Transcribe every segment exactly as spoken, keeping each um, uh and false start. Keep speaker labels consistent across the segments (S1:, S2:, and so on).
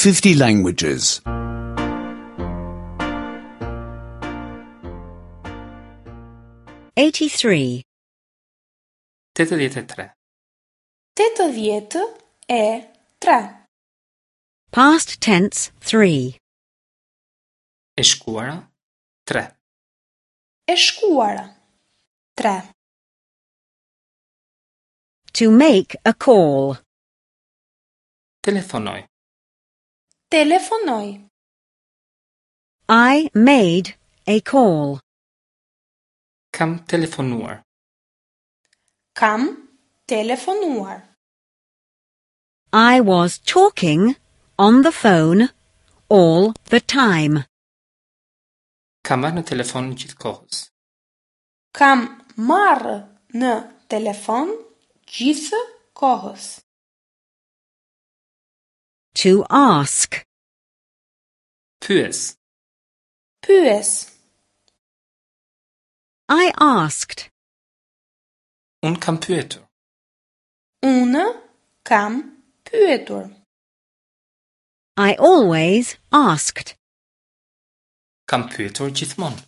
S1: fifty languages.
S2: eighty-three.
S3: Tetëdhjetë e tre.
S4: Tetëdhjetë e tre.
S2: Past tense three.
S3: E shkuara tre.
S4: E shkuara tre.
S2: To make a call.
S3: Telefonoj.
S4: Telefonoj.
S2: I made a call.
S3: Kam telefonuar.
S4: Kam telefonuar.
S2: I was talking on the phone all the time.
S3: Kam marrë në telefon gjithë kohës.
S4: Kam marrë në telefon gjithë kohës.
S2: To ask.
S3: Pyes.
S4: Pyes.
S2: I asked.
S3: Unë kam pyetur.
S4: Unë kam pyetur.
S2: I always asked.
S3: Kam pyetur gjithmonë.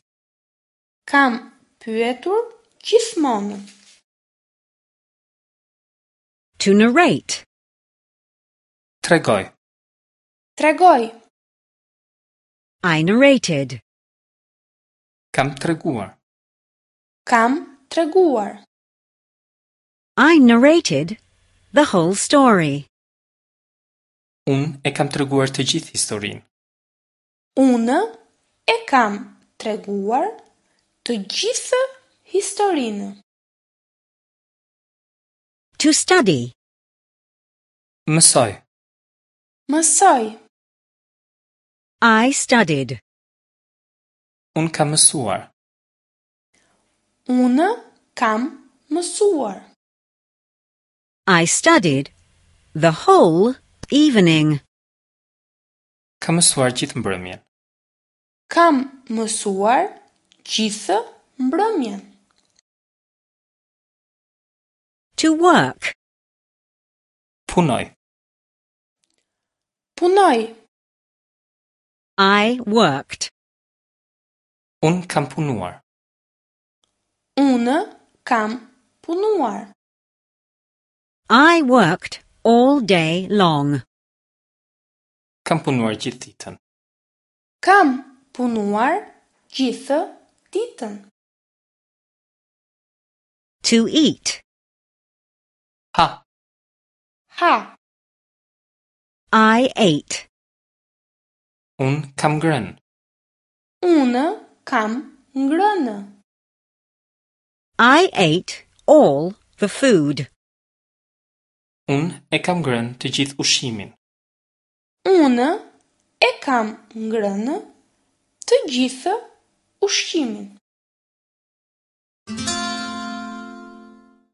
S4: Kam pyetur gjithmonë.
S2: To narrate.
S3: Tregoj.
S4: Tregoj.
S2: I narrated.
S3: Kam treguar.
S4: Kam treguar.
S2: I narrated the whole story.
S3: Unë e kam treguar të gjithë historinë.
S4: Unë e kam treguar të gjithë historinë.
S2: To study.
S3: Mësoj.
S4: Mësoj.
S2: I studied.
S3: Unë kam mësuar.
S4: Unë kam mësuar.
S2: I studied the whole evening.
S3: Kam mësuar gjithë mbrëmjen.
S4: Kam mësuar gjithë mbrëmjen.
S2: To work.
S3: Punoj.
S4: Punoj.
S2: I worked.
S3: Unë kam punuar.
S4: Unë kam punuar.
S2: I worked all day long.
S3: Kam punuar gjithë ditën.
S4: Kam punuar gjithë ditën.
S2: To eat.
S3: Ha.
S4: Ha.
S2: I ate.
S3: Unë kam ngrënë.
S4: Unë kam ngrënë.
S2: I ate all the food.
S3: Unë e kam ngrënë të gjithë ushqimin.
S4: Unë e kam ngrënë të gjithë ushqimin.